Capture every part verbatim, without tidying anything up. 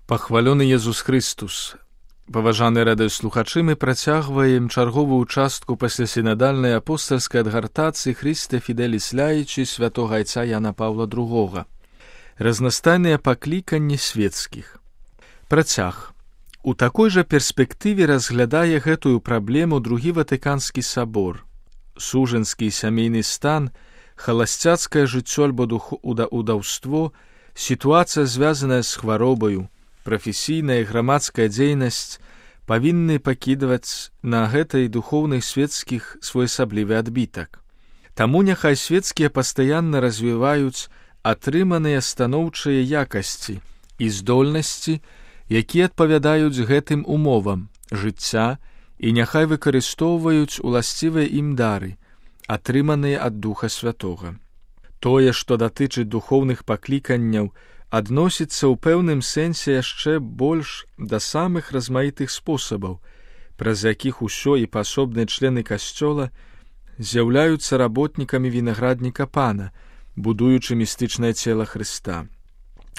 Пахвалёны Езус Христус. Паважаныя радыёслухачы, мы працягваем чарговую частку паслясінадальнай апостальскай адгартацыі Христе Фіделіс Ляічы святога айца Яна Паўла другога. Разнастайныя пакліканні светскіх. Працяг. У такой жа перспектыве разглядае гэтую праблему другі Ватыканскі сабор. Сужанскі сямейны стан, халасцяцкае жыццё альбо удаўство, сітуацыя, звязаная з хваробаю, прафесійная і грамадская дзейнасць павінны пакідваць на гэтай духоўных светскіх своеасаблівы адбітак. Таму няхай светскія пастаянна развіваюць атрыманыя станоўчыя якасці і здольнасці, якія адпавядаюць гэтым умовам жыцця, і няхай выкарыстоўваюць уласцівыя ім дары, атрыманыя ад Духа Святога. Тое, што датычыць духоўных пакліканняў, адносіцца ў пэўным сэнсе яшчэ больш да самых размаітых спосабаў, праз якіх усё і пасобныя члены касцёла з'яўляюцца работнікамі вінаградніка Пана, будуючы містычнае цела Хрыста.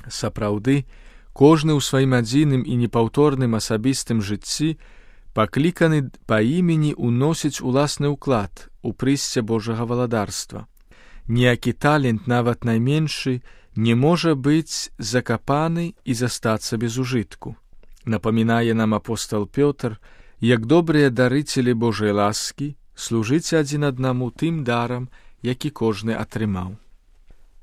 Сапраўды, кожны ў сваім адзіным і непаўторным асабістым жыцці пакліканы па імені ўносіць уласны ўклад у прыйсце Божага валадарства. Ніякі талент, нават найменшы, не можа быць закапаны і застацца без ужытку. Напамінае нам апостол Пётр, як добрыя дарыцелі Божай ласкі, служыце адзін аднаму тым дарам, які кожны атрымаў.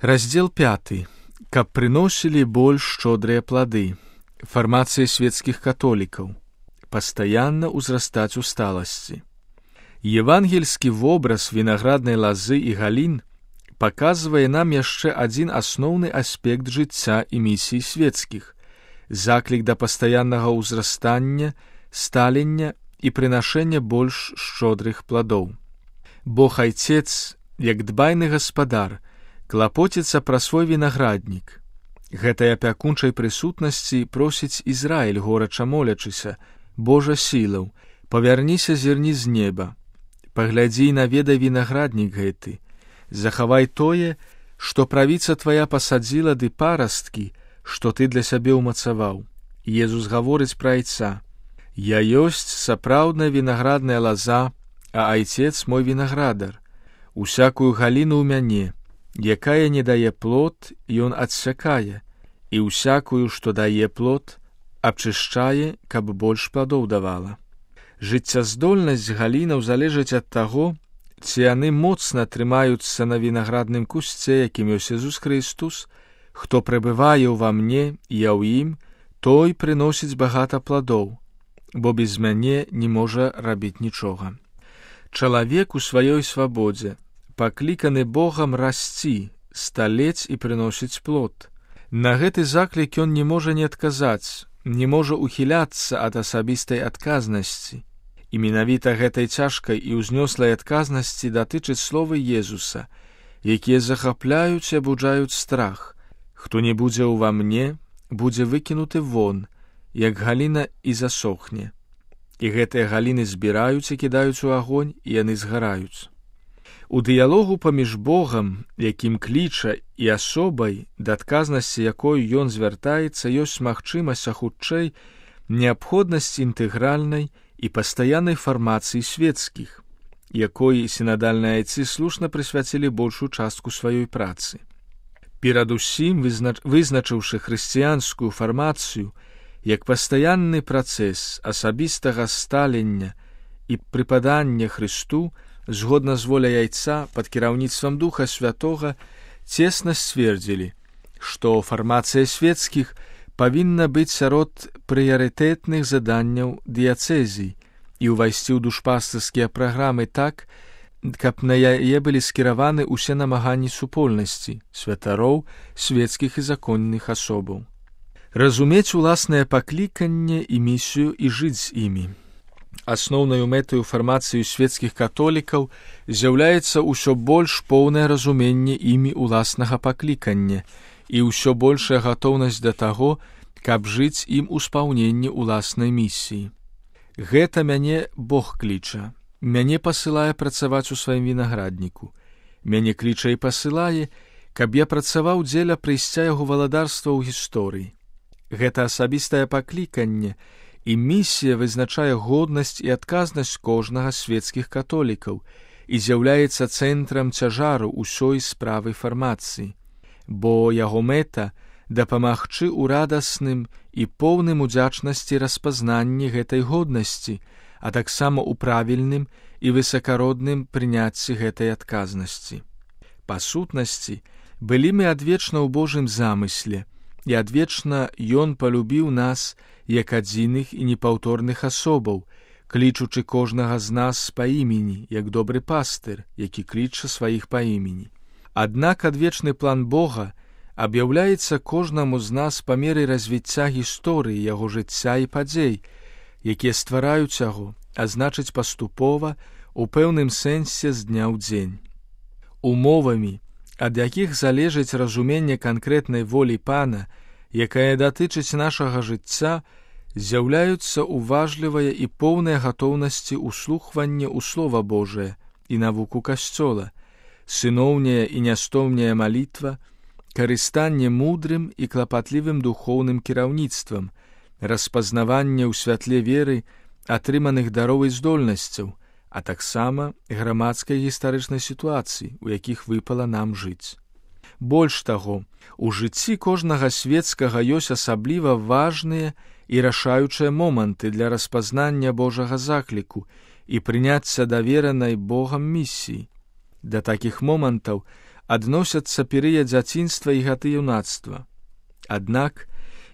Раздзел пяты. Каб прыносілі больш шчодрыя плады. Фармацыя светскіх католікаў. Пастаянна ўзрастаць у сталасці. Евангельскі вобраз вінаграднай лазы і галін паказвае нам яшчэ адзін асноўны аспект жыцця і місіі светскіх, заклік да пастаяннага ўзрастання, сталення і прынашэння больш шчодрых пладоў. Бог Айцец, як дбайны гаспадар, клапоціцца пра свой вінаграднік. Гэтай апякунчай прысутнасці просіць Ізраіль, горача молячыся: Божа сілаў, павярніся зірні з неба, паглядзі і наведай вінаграднік гэты, захавай тое, што правіца твая пасадзіла, ды парасткі, што ты для сябе ўмацаваў. Езус гаворыць пра айца: Я ёсць сапраўдная вінаградная лаза, а айцец мой вінаградар. Усякую галіну ў мяне, якая не дае плод, ён адсякае, і усякую, што дае плод, абчышчае, каб больш пладоў давала. Жыццяздольнасць галінаў залежыць ад таго, ці яны моцна трымаюцца на вінаградным кусце, якім ёсць Езус Христус. Хто пребывае ўва мне, я ў ім, той прыносіць багата пладоў, бо без мяне не можа рабіць нічога. Чалавек у сваёй свабодзе пакліканы Богам расці, сталець і прыносіць плод. На гэты заклік ён не можа не адказаць, не можа ухіляцца ад асабістай адказнасці. І менавіта гэтай цяжкай і ўзнёслай адказнасці датычыць словы Езуса, якія захапляюць і абуджаюць страх. Хто не будзе ўва мне, будзе выкінуты вон, як галіна і засохне. І гэтыя галіны збіраюць і кідаюць у агонь, і яны згараюць. У дыялогу паміж Богам, якім кліча, і асобай, да адказнасці якой ён звяртаецца, ёсць магчымасць, а хутчэй неабходнасць інтэгральнай і пастаяннай фармацыі светскіх, якой сінадальныя айцы слушна прысвяцілі большую частку сваёй працы. Перадусім, вызнач... вызначыўшы хрысціянскую фармацыю як пастаянны працэс асабістага сталення і прыпадання Хрысту, згодна з воляй айца пад кіраўніцтвам Духа Святога, цесна сцвердзілі, што фармацыя светскіх павінна быць сярод прыярытэтных заданняў дыяцэзій і ўвайсці ў душпастырскія праграмы так, каб на яе былі скіраваны ўсе намаганні супольнасці, святароў, светскіх і законных асобаў. Разумець уласнае пакліканне і місію і жыць з імі. Асноўнаю мэтаю фармацыі светскіх католікаў з'яўляецца ўсё больш поўнае разуменне імі уласнага паклікання і ўсё большая гатоўнасць да таго, каб жыць ім у спаўненні ўласнай місіі. Гэта мяне Бог кліча, мяне пасылае працаваць у сваім вінаградніку, мяне кліча і пасылае, каб я працаваў дзеля прыйсця яго валадарства ў гісторыі. Гэта асабістае пакліканне, і місія вызначае годнасць і адказнасць кожнага з свецкіх католікаў і з'яўляецца цэнтрам цяжару ўсёй справы фармацыі, бо яго мэта дапамагчы ў радасным і поўным удзячнасці распазнанні гэтай годнасці, а таксама ў правільным і высакародным прыняцці гэтай адказнасці. Па сутнасці, былі мы адвечна ў Божым замысле, і адвечна Ён палюбіў нас як адзіных і непаўторных асобаў, клічучы кожнага з нас па імені, як добры пастыр, які кліча сваіх па імені. Аднак адвечны план Бога аб'яўляецца кожнаму з нас па меры развіцця гісторыі яго жыцця і падзей, якія ствараюць яго, а значыць паступова, у пэўным сэнсе з дня ў дзень. Умовамі, ад якіх залежыць разуменне канкрэтнай волі Пана, якая датычыць нашага жыцця, з'яўляюцца уважлівая і поўная гатоўнасці ўслухвання ў Слова Божае і навуку Касцёла, сыноўняя і нястоўняя малітва, карыстанне мудрым і клапатлівым духоўным кіраўніцтвам, распазнаванне ў святле веры атрыманых дароў і здольнасцяў, а таксама грамадскай гістарычнай сітуацыі, у якіх выпала нам жыць. Больш таго, у жыцці кожнага свецкага ёсць асабліва важныя і рашаючыя моманты для распазнання Божага закліку і прыняцця даверанай Богам місіі. Да такіх момантаў адносяцца перыяд дзяцінства і гады юнацтва. Аднак,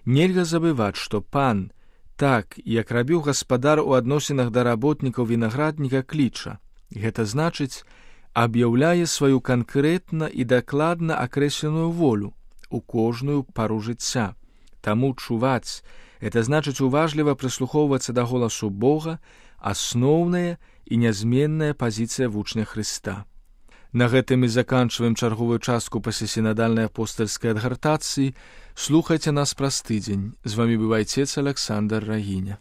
нельга забываць, што Пан, так, як рабіў гаспадар у адносінах да работнікаў вінаградніка, кліча. Гэта значыць, аб'яўляе сваю канкрэтна і дакладна акрэсленую волю у кожную пару жыцця. Таму чуваць, гэта значыць уважліва прыслухоўвацца да голасу Бога, асноўная і нязменная пазіцыя вучня Хрыста. На гэтым і заканчваем чарговую частку паслясінадальнай апостальскай адгартацыі. Слухайце нас праз тыдзень. З вамі быў айцец Аляксандр Рагіня.